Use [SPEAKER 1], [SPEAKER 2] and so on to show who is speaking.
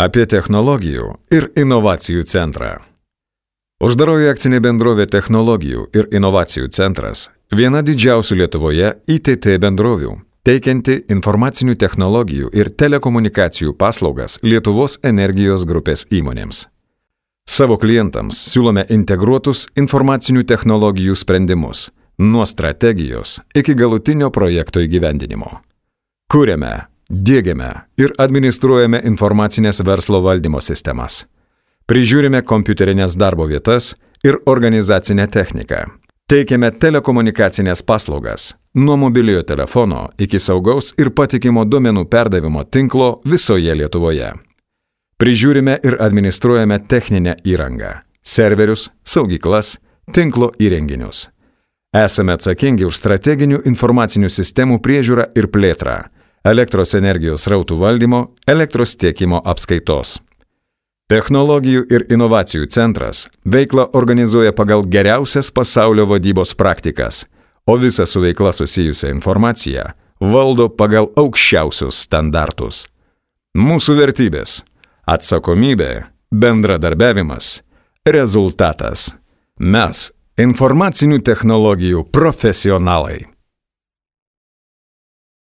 [SPEAKER 1] Apie technologijų ir inovacijų centrą. Uždaroji akcinė bendrovė Technologijų ir inovacijų centras – viena didžiausių Lietuvoje ITT bendrovių, teikianti informacinių technologijų ir telekomunikacijų paslaugas Lietuvos energijos grupės įmonėms. Savo klientams siūlome integruotus informacinių technologijų sprendimus, nuo strategijos iki galutinio projekto įgyvendinimo. Kuriame, diegiame ir administruojame informacinės verslo valdymo sistemas. Prižiūrime kompiuterinės darbo vietas ir organizacinę techniką. Teikiame telekomunikacinės paslaugas, nuo mobiliojo telefono iki saugaus ir patikimo duomenų perdavimo tinklo visoje Lietuvoje. Prižiūrime ir administruojame techninę įrangą, serverius, saugyklas, tinklo įrenginius. Esame atsakingi už strateginių informacinių sistemų priežiūrą ir plėtrą, elektros energijos srautų valdymo, elektros tiekimo apskaitos. Technologijų ir inovacijų centras veiklą organizuoja pagal geriausias pasaulio vadybos praktikas, o visą su veikla susijusią informaciją valdo pagal aukščiausius standartus. Mūsų vertybės – atsakomybė, bendradarbiavimas, rezultatas. Mes – informacinių technologijų profesionalai.